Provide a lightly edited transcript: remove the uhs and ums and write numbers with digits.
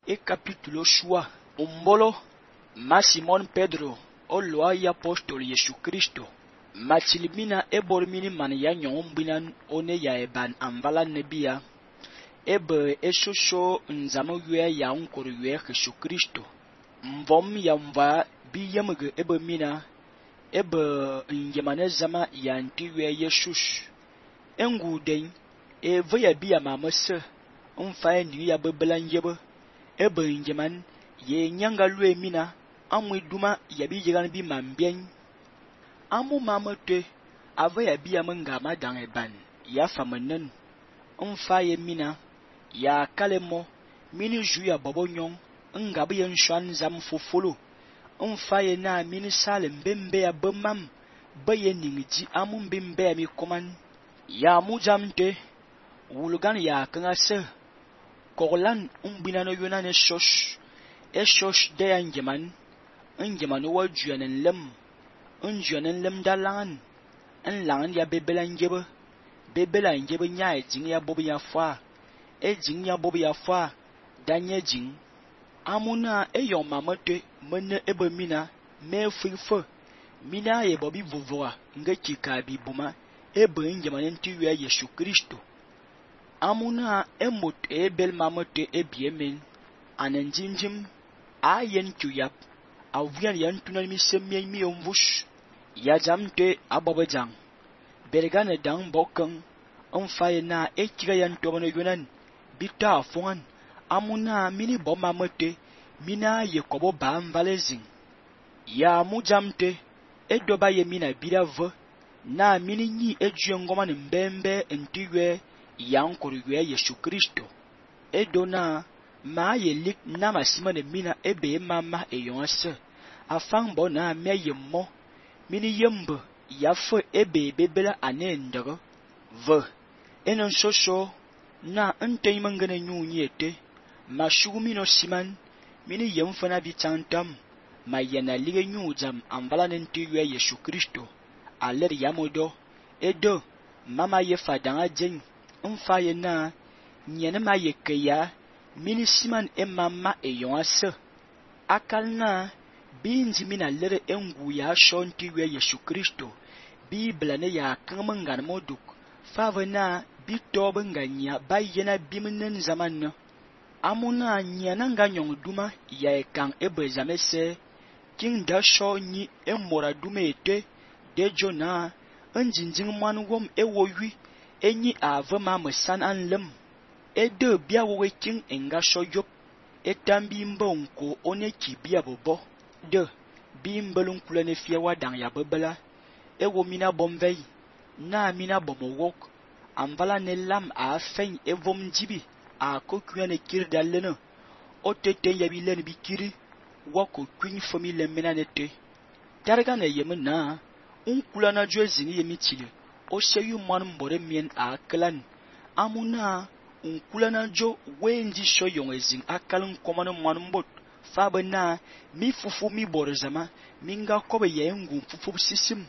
e capítulo shua umbolo ma Simon Pedro o loa ya apostol Yesu Kristo machilimina e bormini man ya nyongumbinan one ya eban amvala nebia ebe esosho nzamo yue ya unkoro yue Yesu Kristo mvom ya mva bi yemge ebe mina ebe njemane zama ya nti yue Yesus enguden eve ya bi ya mamese mfa ni ya bebelan yebe ebe njeman ye nyanga lue mina amwe duma ya bi yegan bi mambien amu mamete ave ya bi ya menga madang eban ya famenen mfa ye mina ya kalemo mini ju ya bobo nyong nga bi yen shwan zam fofolo mfa ye na mini sale mbembe ya bemam baye ningji amu mbembe ya mi koman ya mujamte wulgan ya kanga se Koglan umbina no yuna ne shosh de ya njeman wa juanen lem dalangan langan ya bebelan jebe nya ejing ya bobi ya fa ejing ya bobi ya fa danye jing amuna eyon mamate mene ebe mina me fuifo mina ye bobi vovoa nge chikabi buma ebe njeman ntiwe Yesu Kristo amuna emot ebel mamote ebiemen anenjinjim ayen tuyap avian yan tunan mi semien mi omvush ya jamte ababajang bergane dang bokeng onfaye na ekira yan tobono yunan bita afongan amuna mini bomamote mina ye kobo bam valezing ya mujamte edoba ye mina bidave na mini nyi ejuyengoma mbembe ntiwe yankoro yue Yesu Kristo edona ma yelik na masimane mina ebe mama eyonse afang bona me yemmo mini yembe yafe ebe bebela anendere ve enon soso na nteyimangene nyunyete mashugumino siman mini yemfana bitantam ma yana lige nyujam amvala nenti yue Yesu Kristo aler yamodo edo mama ye fadanga jeng mfa ye na nyene ma ye keya mini siman mama eyonse akal na binji mina lere engu ya shonti we Yesu Kristo Bibla ne ya kanmangan moduk fave na bitobe nganya bayena bimnen zaman amuna nyana nganyong duma ya ekang ebezamese king da sho nyi emora dumete dejo na njinjing manwom ewowi enyi ave ma mesan anlem ede bia wowe king enga shoyop etambi mbonko one kibia bobo de bimbelun kulene fie wadang ya bebela ewo mina bomvei na mina bomowok amvala ne lam a fen evom jibi a kokuane kirdalene otete yabilen bikiri wako kwin famile menanete darga ne yemna unkulana jwezini yemitile o seyu man mbore mien a klan amuna unkulana jo wenji shoyong ezing akalun komano man mbot fabena mi fufu mi borzama minga kobe yengu fufu sisim